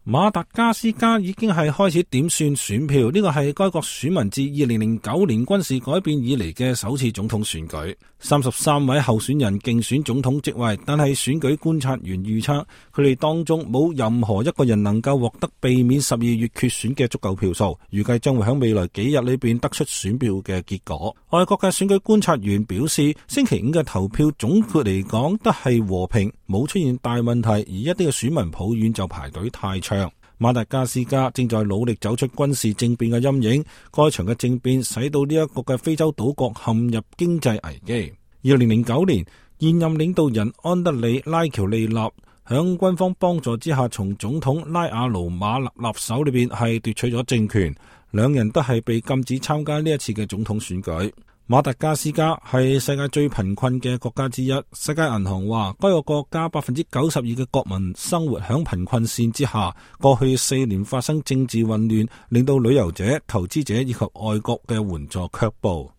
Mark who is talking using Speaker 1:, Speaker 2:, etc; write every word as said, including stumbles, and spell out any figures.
Speaker 1: 馬達加斯加已經係開始點算選票，呢個係該國選民自二零零九年軍事改變以嚟嘅首次總統選舉。三十三位候選人競選總統職位，但係選舉觀察員預測，佢哋當中冇任何一個人能夠獲得避免十二月決選嘅足夠票數，預計將會喺未來幾日裏邊得出選票嘅結果。外國嘅選舉觀察員表示，星期五嘅投票總括嚟講都係和平，冇出現大問題，而一啲嘅選民抱怨就排隊太長。馬達加斯加正在努力走出軍事政變嘅陰影，該場嘅政變使到呢一個嘅非洲島國陷入經濟危機。二零零九年，現任領導人安德里拉喬利納響軍方幫助之下，從總統拉阿盧馬納手裏邊係奪取咗政權，兩人都係被禁止參加呢一次嘅總統選舉。馬達加斯加係世界最貧困嘅國家之一，世界銀行話該個國家百分之九十二嘅國民生活響貧困線之下。過去四年發生政治混亂，令到旅遊者、投資者以及外國嘅援助卻步。